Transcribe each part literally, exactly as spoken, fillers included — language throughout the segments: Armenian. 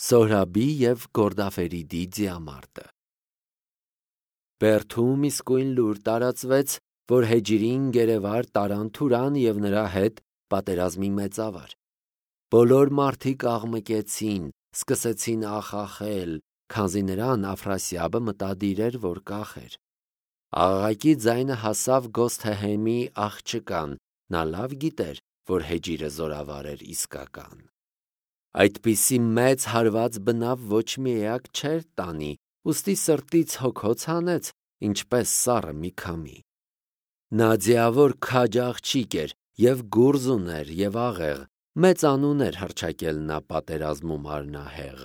Սոհրաբի և Գորդաֆերիդի ձիամարտը։ Բերդում իսկույն լուր տարածվեց, որ Հեջիրին գերեվար տարան Թուրան և նրա հետ պատերազմի մեծավար։ Բոլոր մարդիկ աղմկեցին, սկսեցին ախախել, քանզի նրան Աֆրասիաբը մտադիր էր, որ կախեր։ Աղաղակի ձայնը հասավ Գոսթեհեմի աղջկան, նա լավ գիտեր, որ Հեջիրը զորավար էր իսկական։ Այդպիսի մեծ հարված բնավ ոչ մի էակ չէր տանի, ուստի սրտից հոգոց հանեց, ինչպես սառը մի քամի։ Նա ձիավոր քաջ աղջիկ էր, և գուրզ ուներ, և աղեղ, մեծ անուն էր հռչակել նա պատերազմում արնահեղ։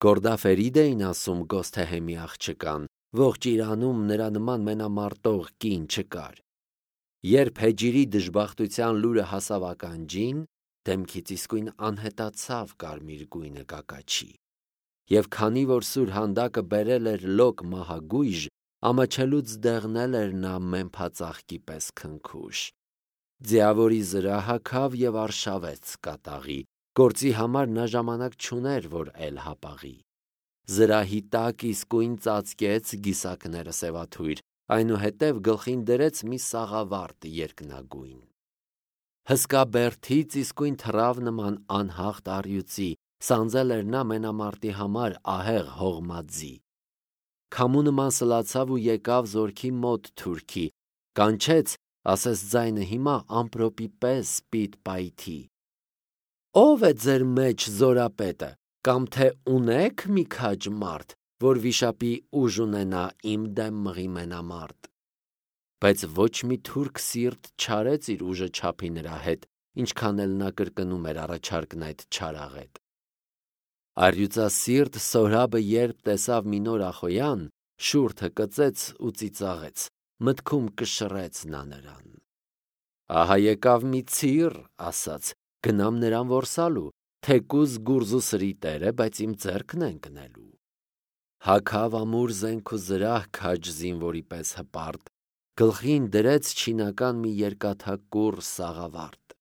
Գորդաֆերիդ էին ասում Գոսթեհեմի աղջկան, ողջ Իրանում նրա նման մենամարտող կին չկար։ Երբ Հեջիրի դժբախտության լուրը հասավ ականջին, դեմքից իսկույն անհետացավ կարմիր գույնը կակաչի։ Եվ քանի որ սուրհանդակը բերել էր լոկ մահագույժ, ամաչելուց դեղնել էր նա մեմփածաղկի պես քնքուշ։ Ձիավորի զրահ հագավ և արշավեց կատաղի, գործի համար նա ժամանակ չուներ, որ էլ հապաղի։ Զրահի տակ իսկույն ծածկեց գիսակները սևաթույր, այնուհետև գլխին դրեց մի սաղավարտ երկնագույն։ Հսկա բերդից իսկույն թռավ նման անհաղթ առյուծի, սանձել էր նա մենամարտի համար ահեղ հողմաձի։ Քամու նման սլացավ ու եկավ զորքի մոտ թուրքի, կանչեց, ասես ձայնը հիմա ամպրոպի պես պիտ-պայթի. «Ո՞վ է ձեր մեջ զորապետը, կամ թե ունե՞ք մի քաջ մարդ, որ վիշապի ուժ ունենա իմ դեմ մղի մենամարտ»։ Բայց ոչ մի թուրք սիրտ չարեց իր ուժը չափի նրա հետ, ինչքան էլ նա կրկնում էր առաջարկն այդ չարաղետ։ Առյուծասիրտ Սոհրաբը երբ տեսավ մի նոր ախոյան, շուրթը կծեց ու ծիծաղեց, մտքում կշռեց նա նրան։ Ահա եկավ մի ցիր, ասաց, գնամ նրան որսալու, թեկուզ գուրզու սրի տեր է, բայց իմ ձեռքն է ընկնելու։ Հագավ ամուր զենք ու զրահ քաջ զինվորի պես հպարտ, գլխին դրեց չինական մի երկաթակուռ սաղավարտ։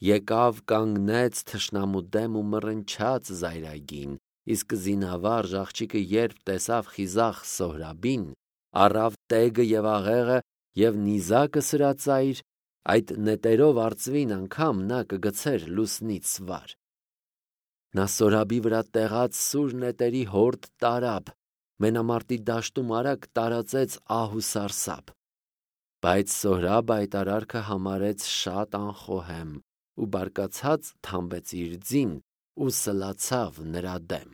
Եկավ կանգնեց թշնամու դեմ ու մռնչաց զայրագին, իսկ զինավարժ աղջիկը երբ տեսավ խիզախ Սոհրաբին, առավ տեգը և աղեղը և նիզակը սրածայր, այդ նետերով արծվին անգամ նա կգցեր լուսնից վար։ Նա Սոհրաբի վրա տեղած սուր նետերի հորդ տարավ, մենամարտի դաշտում արագ տարածեց ահ ու սարսափ։ Բայց Սոհրաբը այդ արարքը համարեց շատ անխոհեմ ու բարկացած թամբեց իր ձին ու սլացավ նրա դեմ։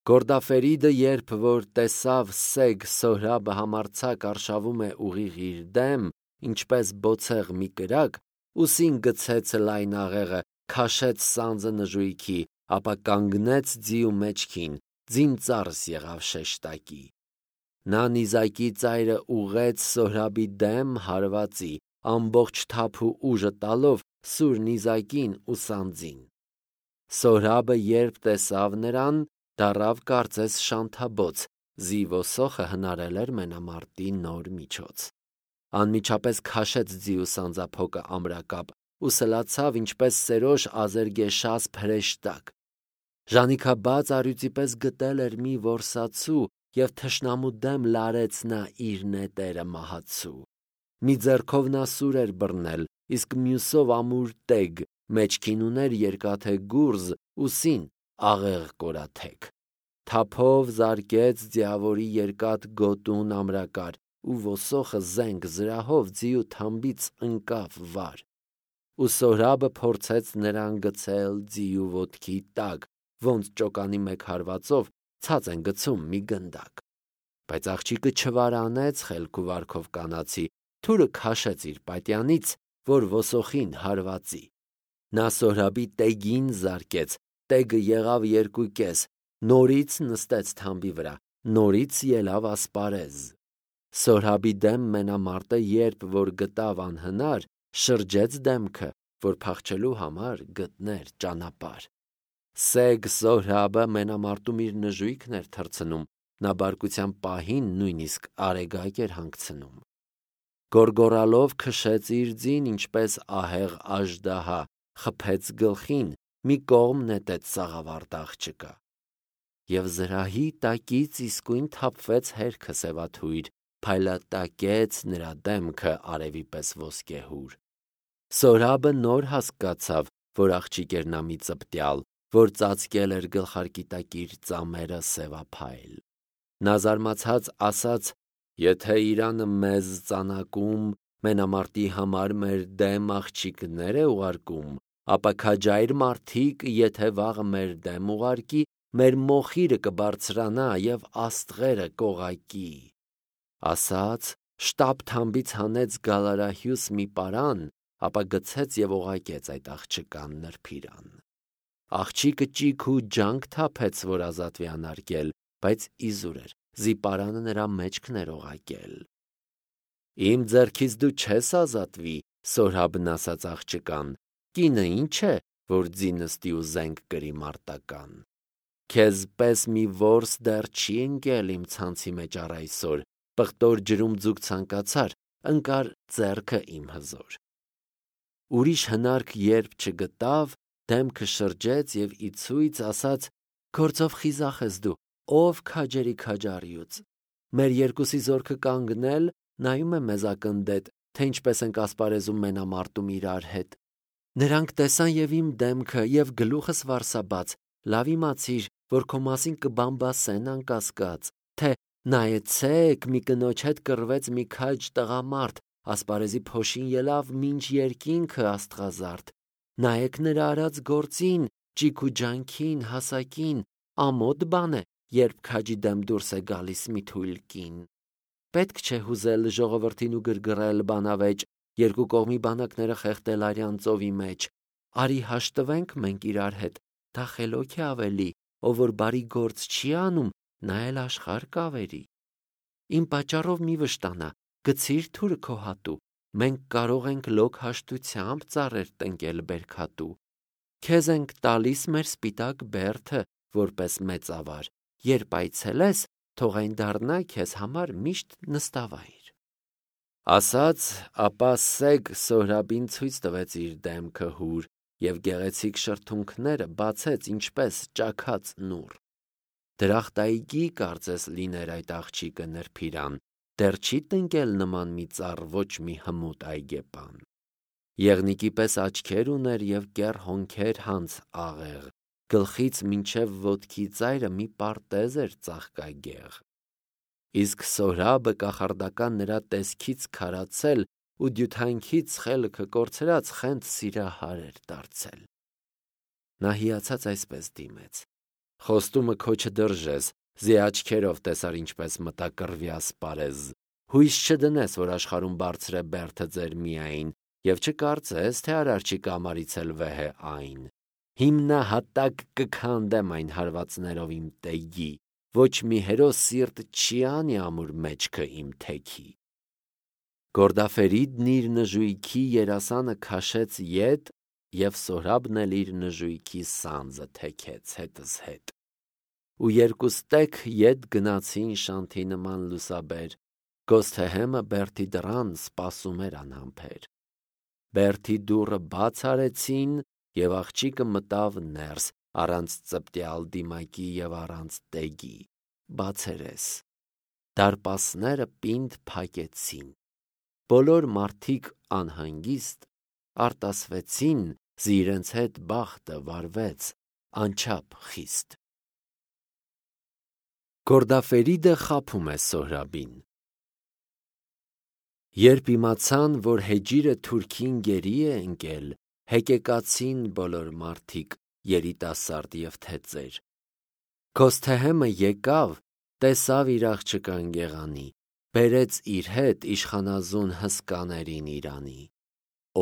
Գորդաֆերիդը երբ որ տեսավ սեգ Սոհրաբը համարձակ արշավում է ուղիղ իր դեմ, ինչպես բոցեղ մի կրակ, ուսին գցեց լայն աղեղը, քաշեց սանձը նժույքի, ապա կանգնեց ձիու մեջքին, ձին ծառս եղավ շեշտակի։ Նա նիզակի ծայրը ուղղեց Սոհրաբի դեմ հարվածի, ամբողջ թափ ու ուժը տալով սուր նիզակին ու սանձին։ Սոհրաբը երբ տեսավ նրան, դառավ կարծես շանթաբոց, զի ոսոխը հնարել էր մենամարտի նոր միջոց։ Անմիջապես քաշեց ձիու սանձափոկը ամրակապ ու սլացավ ինչպես սերոշ ազերգեշասպ հրեշտակ։ Ժանիքաբաց առյուծի պես գտել էր մի որսացու և թշնամու դեմ լարեց նա իր նետերը մահացու։ Մի ձեռքով նա սուր էր բռնել, իսկ մյուսով ամուր տեգ, մեջքին ուներ երկաթե գուրզ, ուսին աղեղ կորաթեք։ Թափով զարկեց ձիավորի երկաթ գոտուն ամրակար ու ոսոխը զենք զրահով ձիու թամբից ընկավ վար։ Ու Սոհրաբը փորձեց նրան գցել ձիու ոտքի տակ, ոնց ճոկանի մեկ հարվածով ցած են գցում մի գնդակ։ Բայց աղջիկը չվարանեց խելք ու վարքով կանացի, թուրը քաշեց իր պատյանից, որ ոսոխին հարվածի։ Նա Սոհրաբի տեգին զարկեց, տեգը եղավ երկուկես, նորից նստեց թամբի վրա, նորից ելավ ասպարեզ։ Սոհրաբի դեմ մենամարտը երբ որ գտավ անհնար, շրջեց դեմքը, որ փախչելու համար գտներ ճանապարհ։ Սեգ Սոհրաբը մենամարտում իր նժույգն էր թռցնում, նա բարկության պահին նույնիսկ արեգակ էր հանգցնում։ Գոռգոռալով քշեց իր ձին, ինչպես ահեղ աժդահա, խփեց գլխին, մի կողմ նետեց սաղավարտ աղջկա։ և զրահի տակից իսկույն թափվեց հերքը սևաթույր, փայլատակեց նրա դեմքը արևի պես ոսկեհուր։ Սորաբը նոր հասկացավ, որ աղջիկ էր նա մի ծպտյալ, որ ծածկել էր գլխարկի տակ իր ծամերը սևափայլ։ Նա զարմացած ասաց. «Եթե Իրանը մեզ ծանակում, մենամարտի համար մեր դեմ աղջիկներ է ուղարկում, ապա քաջայր մարդիկ, եթե վաղը մեր դեմ ուղարկի, մեր մոխիրը կբարձրանա և աստղերը կողակի»։ Ասաց, շտապ թամբից հանեց գալարահյուս մի պարան, ապա գցեց և օղակեց այդ աղջկան նրբիրան։ Աղջիկը ճիգ ու ջանք թափեց, որ ազատվի անարգել, բայց իզուր էր, զիպարանը նրա մեջքն էր օղակել։ «Իմ ձեռքից դու չես ազատվի», Սորաբն ասաց աղջկան, «կինը ինչ է, որ ձի նստի ու զենք կրի մարտական։ Քեզ պես մի որս դեռ չի ընկել իմ ցանցի մեջ առ այսօր, պղտոր ջրում ձուկ ցանկացար, ընկար ձեռքը իմ հզոր»։ Ուրիշ հնարք երբ չգտավ, դեմքը շրջեց և ի ցույց ասաց. «Գործով խիզախ ես դու, ով քաջերի քաջառյուծ։ Մեր երկուսի զորքը կանգնել, նայում է մեզ ակնդետ, թե ինչպես ենք ասպարեզում մենամարտում իրար հետ։ Նրանք տեսան և իմ դեմքը, և գլուխս վարսաբաց, լավ իմացիր, որ քո մասին կբամբասեն անկասկած, թե նայեցեք, մի կնոջ հետ կռվեց մի քաջ տղամարդ, ասպարեզի փոշին ելավ մինչ երկինքը աստղազարդ։ Նայեք նրա արած գործին, ճիգ ու ջանքին, հասակին, ամոթ բան է, երբ քաջի դեմ դուրս է գալիս մի թույլ կին։ Պետք չէ հուզել ժողովրդին ու գրգռել բանավեճ, երկու կողմի բանակները խեղդել արյան ծովի մեջ։ Արի հաշտվենք մենք իրար հետ, դա խելոք է ավելի, ով որ բարի գործ չի անում, նա էլ աշխարհ կավերի։ Իմ պատճառով մի վշտանա, գցիր թուրը քո հատու, մենք կարող ենք լոկ հաշտությամբ ծառեր տնկել բերքատու։ Քեզ ենք տալիս մեր սպիտակ բերդը, որպես մեծավար, երբ այցելես, թող այն դառնա քեզ համար միշտ նստավայր։ Ասաց, ապա սեգ Սորաբին ցույց տվեց իր դեմքը հուր և գեղեցիկ շրթունքները բացեց ինչպես ճաքած նուռ։ Դրախտայգի կարծես լիներ այդ աղջիկը նրբիրան, դեռ չի տնկել նման մի ծառ ոչ մի հմուտ այգեպան։ Եղնիկի պես աչքեր ուներ և կեռ հոնքեր հանց աղեղ, գլխից մինչև ոտքի ծայրը մի պարտեզ էր ծաղկագեղ։ Իսկ Սորաբը կախարդական նրա տեսքից քարացել ու դյութանքից խելքը կորցրած խենթ սիրահար էր դարձել։ Նա հիացած այսպես դիմեց. «Խոստումը քո չդրժես, զի աչքերով տեսար ինչպես մտա կռվի ասպարեզ։ Հույս չդնես, որ աշխարհում բարձր է բերդը ձեր միայն, և չկարծես, թե արարչի կամարից էլ վեհ է այն։ Հիմնահատակ կքանդեմ այն հարվածներով իմ տեգի, ոչ մի հերոս սիրտ չի անի ամուր մեջքը իմ թեքի»։ Գորդաֆերիդն իր նժույգի երասանը քաշեց ետ, և Սորաբն էլ իր նժույգի սանձը թեքեց հետզհետ։ Ու երկուստեք ետ գնացին շանթի նման լուսաբեր, Գոսթեհեմը բերդի դռան սպասում էր անհամբեր։ Բերդի դուռը բաց արեցին, և աղջիկը մտավ ներս, առանց ծպտյալ դիմակի և առանց տեգի, բացերես։ Դարպասները պինդ փակեցին։ Բոլոր մարդիկ անհանգիստ արտասվեցին, զի իրենց հետ բախտը վարվեց անչափ խիստ։ Գորդաֆերիդը խաբում է Սորաբին։ Երբ իմացան, որ հեջիրը թուրքին գերի է ընկել, հեկեկացին բոլոր մարդիկ, երիտասարդ և թեծեր։ Գոսթեհեմը եկավ, տեսավ իր աղջկան գեղանի, բերեց իր հետ իշխանազուն հսկաներին Իրանի։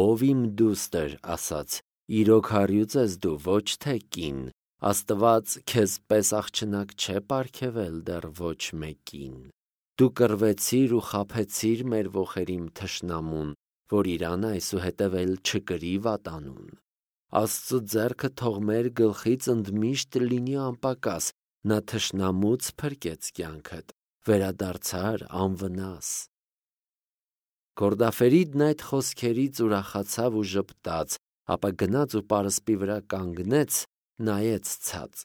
«Ով իմ դուստր», ասաց, «իրոք առյուծ ես դու, ոչ թե կին, Աստված քեզ պես աղջնակ չէ պարգևել դեռ ոչ մեկին։ Դու կռվեցիր ու խաբեցիր մեր ոխերիմ թշնամուն, որ Իրանը այսուհետև էլ չկրի վատանուն։ Աստծու ձեռքը թող մեր գլխից ընդմիշտ լինի անպակաս, նա թշնամուց փրկեց կյանքդ, վերադարձար անվնաս»։ Գորդաֆերիդն այդ խոսքերից ուրախացավ ու ժպտաց, ապա գնաց ու պարսպի վրա կանգնեց, նայեց ցած։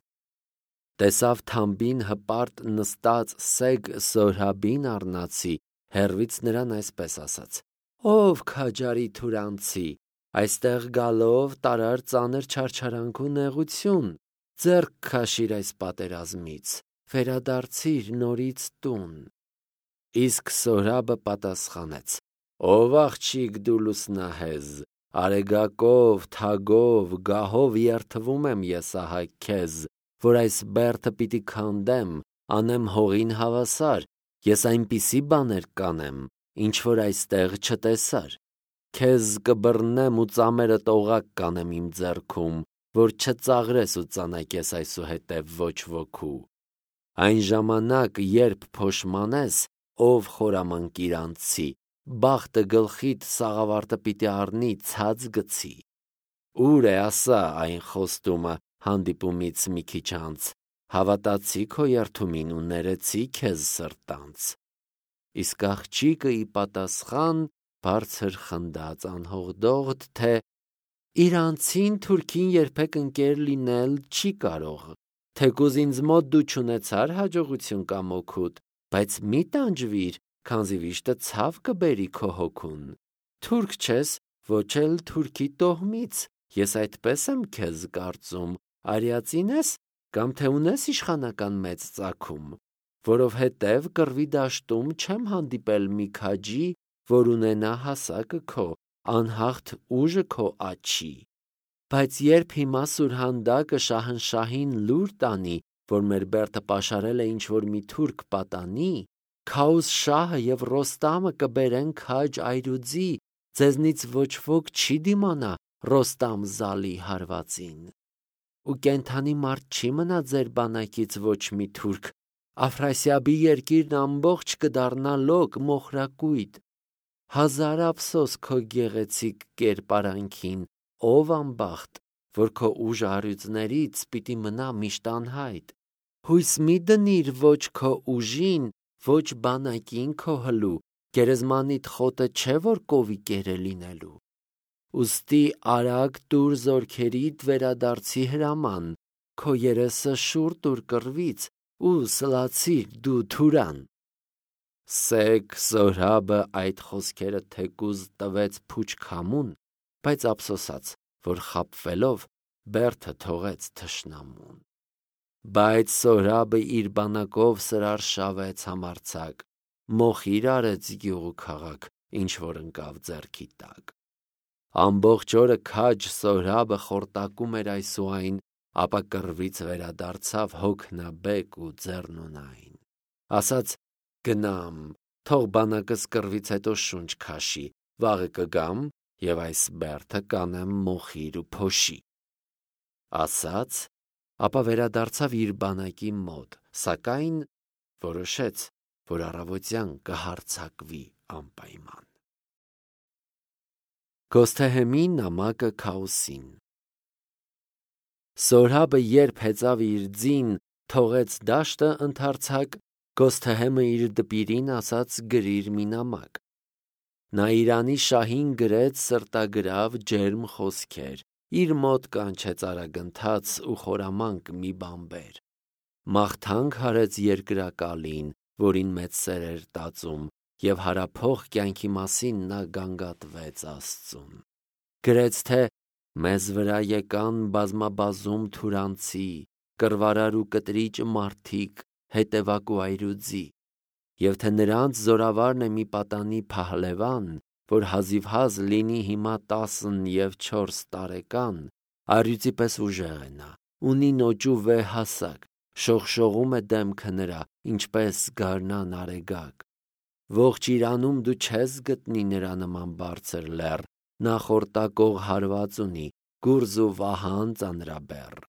տեսավ թամբին հպարտ նստած սեգ Սորհաբին առնացի, հեռվից նրան այսպես ասաց. «Ով քաջարի թուրանցի, այստեղ գալով տարար ծանր չարչարանք ու նեղություն, ձեռք քաշիր այս պատերազմից, վերադարձիր նորից տուն»։ Իսկ Սորհաբը պատասխանեց. «Ով աղջիկ դու լուսնահեզ, արեգակով, թագով, գահով երթվում եմ ես ահա քեզ, որ այս բերդը պիտի քանդեմ, անեմ հողին հավասար, ես այնպիսի բաներ կանեմ, ինչ որ այստեղ չտեսար, քեզ կբռնեմ ու ծամերդ օղակ կանեմ իմ ձեռքում, որ չծաղրես ու ծանակես այսուհետև ոչ ոքու։ Այն ժամանակ, երբ փոշմանես, ով խորամանկ իրանցի, բախտը գլխիդ սաղավարտը պիտի առնի ցած գցի։ Ուր է ասա այն խոստումը հանդիպումից մի քիչ անց, հավատացի քո երդումին ու ներեցի քեզ սրտանց։ Իսկ աղջիկը ի պատասխան բարձր խնդաց անհողդողդ, թե իրանցին թուրքին երբեք ընկեր լինել չի կարող, թեկուզ ինձ մոտ դու չունեցար հաջողություն կամ օգուտ, բայց մի տանջվիր, քանզի վիշտը ցավ կբերի քո հոգուն։ Թուրք չես, ոչ էլ թուրքի տոհմից, ես այդպես եմ քեզ կարծում, արիածին ես, կամ թե ունես իշխանական մեծ ծագում, որովհետև կռվի դաշտում չեմ հանդիպել մի քաջի, որ ունենա հասակը քո, անհաղթ ուժը քո աչի։ Բայց երբ հիմա Սուրհանդակը շահնշահին լուր տանի, որ մեր բերդը պաշարել է ինչ-որ մի թուրք պատանի, Քաուս շահը և Ռոստամը կբերեն քաջ այրուձի, ձեզնից ոչ ոք չի դիմանա Ռոստամ Զալի հարվածին։ Ու կենդանի մարդ չի մնա ձեր բանակից ոչ մի թուրք, Աֆրասիաբի երկիրն ամբողջ կդառնա լոկ մոխրակույտ։ Հազար ափսոս քո գեղեցիկ կերպարանքին, ով անբախտ, որ քո ուժը առյուծներից պիտի մնա միշտ անհայտ։ Հույս մի դնիր ոչ քո ուժին, ոչ բանակին քո հլու, գերեզմանիդ խոտը չէ, որ կովիկեր է լինելու։ Ուստի արագ տուր զորքերիդ վերադարձի հրաման, քո երեսը շուռ տուր կռվից ու սլացիր դու թուրան։ Սեգ Սորհաբը այդ խոսքերը թեկուզ տվեց փուչ քամուն, բայց ափսոսաց, որ խաբվելով բերդը թողեց թշնամուն։ Բայց Սորհաբը իր բանակով սրարշավեց համարձակ, մոխիր արեց գյուղ ու քաղաք, ինչ որ ընկավ ձեռքի տակ։ Ամբողջ օրը քաջ Սորհաբը խորտակում էր այս ու այն, ապա կռվից վերադարձավ հոգնաբեկ ու ձեռնունայն։ Ասաց. «Գնամ, թող բանակս կռվից հետո շունչ քաշի, վաղը կգամ և այս բերդը կանեմ մոխիր ու փոշի»։ Ասաց, ապա վերադարձավ իր բանակի մոտ, սակայն որոշեց, որ առավոտյան կհարձակվի անպայման։ Գոսթեհեմի նամակը Քաոսին։ Սորհաբը երբ հեծավ իր ձին, թողեց դաշտը ընդարձակ, Գոսթեհեմը իր դպիրին ասաց գրիր մի նամակ։ Նա Իրանի շահին գրեց սրտագրավ ջերմ խոսքեր, իր մոտ կանչեց արագընթաց ու խորամանկ մի բանբեր։ Մաղթանք հարեց երկրակալին, որին մեծ սեր էր տածում, և հարափող կյանքի մասին նա գանգատվեց Աստծուն։ Գրեց, թե մեզ վրա եկան բազմաբազում թուրանցի, կռվարար ու կտրիճ մարդիկ, հետևակ ու այրուձի, և թե նրանց զորավարն է մի պատանի փահլևան, որ հազիվհազ լինի հիմա տասն և չորս տարեկան, առյուծի պես ուժեղ է նա, ունի նոճու վեհ հասակ, շողշողում է դեմքը նրա, ինչպես գարնան արեգակ։ Ողջ Իրանում դու չես գտնի նրա նման բարձր լեռ, նա խորտակող հարված ունի, գուրզ ու վահան ծանրաբեռ։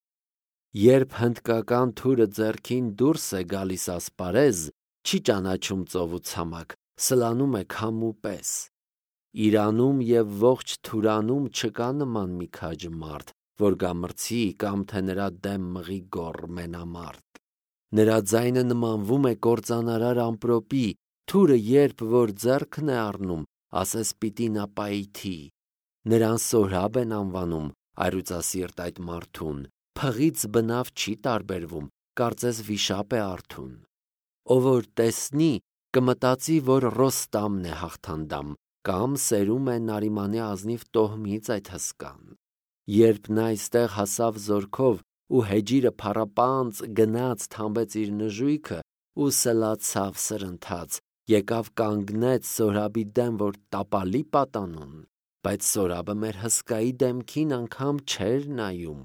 Երբ հնդկական թուրը ձեռքին դուրս է գալիս ասպարեզ, չի ճանաչում ծով ու ցամաք, սլանում է քամու պես։ Իրանում և ողջ Թուրանում չկա նման մի քաջ մարդ, որ գամրցի կամ թե նրա դեմ մղի գոռ մենամարտ։ Նրա ձայնը նմանվում է կործանարար ամպրոպի, թուրը երբ որ ձեռքն է առնում, ասես պիտի նա պայթի։ Նրան Սորհաբ են անվանում, առյուծասիրտ այդ մարդուն, փղից բնավ չի տարբերվում, կարծես վիշապ է արթուն։ Ով որ տեսնի, կմտածի, որ Ռոստամն է հաղթանդամ, կամ սերում է Նարիմանի ազնիվ տոհմից այդ հսկան։ Երբ նա այստեղ հասավ զորքով ու հեջիրը փառապանծ գնաց թամբեց իր նժույգը ու սլացավ սրընթաց, եկավ կանգնեց Սորաբի դեմ, որ տապալի պատանուն, բայց Սորաբը մեր հսկայի դեմքին անգամ չէր նայում,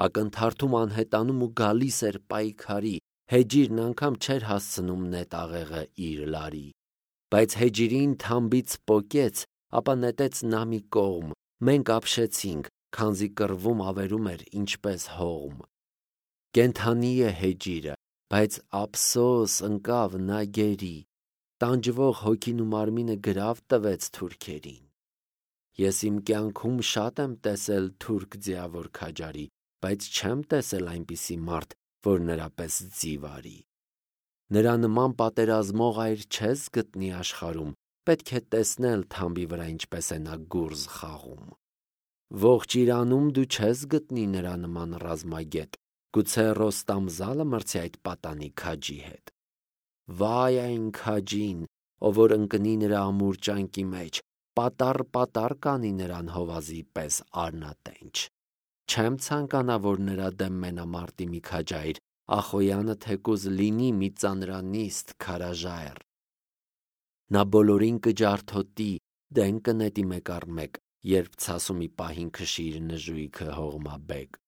ակնթարթում անհետանում ու գալիս էր պայքարի, հեջիրն անգամ չէր հասցնում նետաղեղը իր լարի, բայց հեջիրին թամբից պոկեց, ապա նետեց նա մի կողմ, մենք ապշեցինք, քանզի կռվում ավերում էր ինչպես հողմ։ Կենթանի է հեջիրը, բայց ափսոս ընկավ նա գերի, տանջվող հոգին ու մարմինը գրավ տվեց թուրքերին։ Ես իմ կյանքում շատ եմ տեսել թուրք ձիավոր քաջարի, բայց չեմ տեսել այնպիսի մարդ, որ նրա պես ձիվ արի։ Նրա նման պատերազմող այր չես գտնի աշխարհում, պետք է տեսնել թամբի վրա ինչպես է նա գուրզ խաղում։ Ողջ Իրանում դու չես գտնի նրա նման ռազմագետ, գուցե Ռոստամ զալը մրցի այդ պատանի քաջի հետ։ Վայ այն քաջին, ով որ ընկնի նրա ամուր ճանկի մեջ, պատառ-պատառ կանի նրան հովազի պես արնատենչ։ Չեմ ցանկանա, որ նրա դեմ մենամարտի մի քաջայր, Ախոյանը թեկուզ լինի մի ծանրանիստ քարաժայռ։ Նա բոլորին կջարդոտի, դեն կնետի մեկ առ մեկ, երբ ցասումի պահին քշի իր նժույգը հողմաբեկ։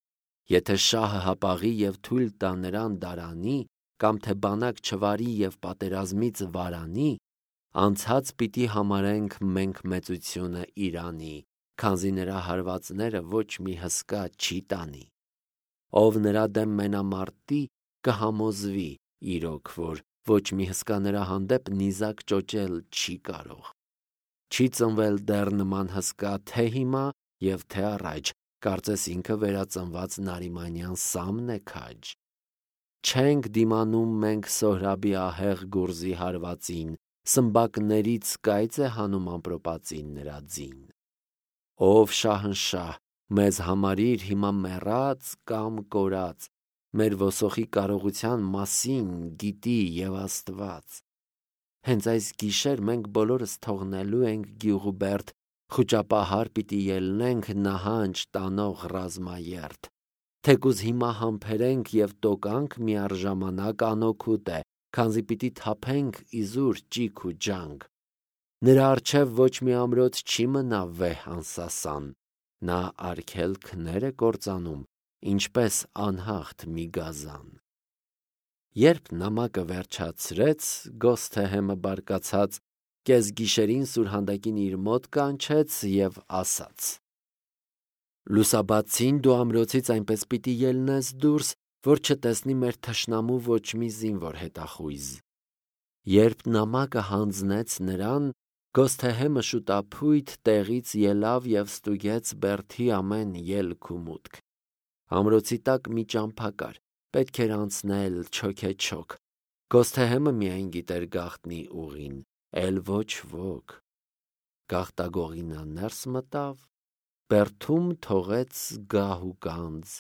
Եթե շահը հապաղի և թույլ տա նրան դարանի, կամ թե բանակ չվարի և պատերազմից վարանի, անցած պիտի համարենք մենք մեծությունը Իրանի, քանզի նրա հարվածները ոչ մի հսկա չի տանի։ Ով նրա դեմ մենամարտի, կհամոզվի իրոք, որ ոչ մի հսկա նրա հանդեպ նիզակ ճոճել չի կարող։ Չի ծնվել դեռ նման հսկա թե հիմա և թե առաջ, կարծես ինքը վերածնված Նարիմանյան Սամն է քաջ։ Չենք դիմանում մենք Սոհրաբի ահեղ գուրզի հարվածին, սմբակներից կայծ է հանում ամպրոպածին նրա ձին։ Ով շահնշահ, մեզ համարիր հիմա մեռած կամ կորած, մեր ոսոխի կարողության մասին գիտի և Աստված։ Հենց այս գիշեր մենք բոլորս թողնելու ենք գյուղուբերդ, խուճապահար պիտի ելնենք նահանջ տանող ռազմաերթ, թեկուզ հիմա համբերենք և տոկանք միառժամանակ անօգուտ է, քանզի պիտի թափենք իզուր ճիգ ու ջանք։ Նրա առջև ոչ մի ամրոց չի մնա վեհ անսասան, նա արգելքներ է կործանում, ինչպես անհաղթ մի գազան։ Երբ նամակը վերջացրեց, Գոսթեհեմը բարկացած կեսգիշերին սուրհանդակին իր մոտ կանչեց և ասաց. Լուսաբացին դու ամրոցից այնպես պիտի ելնես դուրս, որ չտեսնի մեր թշնամու ոչ մի զինվոր հետախույզ։ Երբ նամակը հանձնեց նրան, Գոսթեհեմը շուտափույթ տեղից ելավ և ստուգեց բերդի ամեն ելք ու մուտք։ Ամրոցի տակ մի ճամփա կար, պետք էր անցնել չոքեչոք։ Գոսթեհեմը միայն գիտեր գաղտնի ուղին, էլ ոչ ոք։ Գաղտագողի նա ներս մտավ, բերդում թողեց գահ ու գանձ,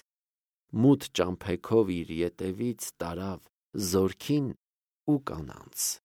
մութ ճամփեքով իր ետևից տարավ զորքին ու կանանց։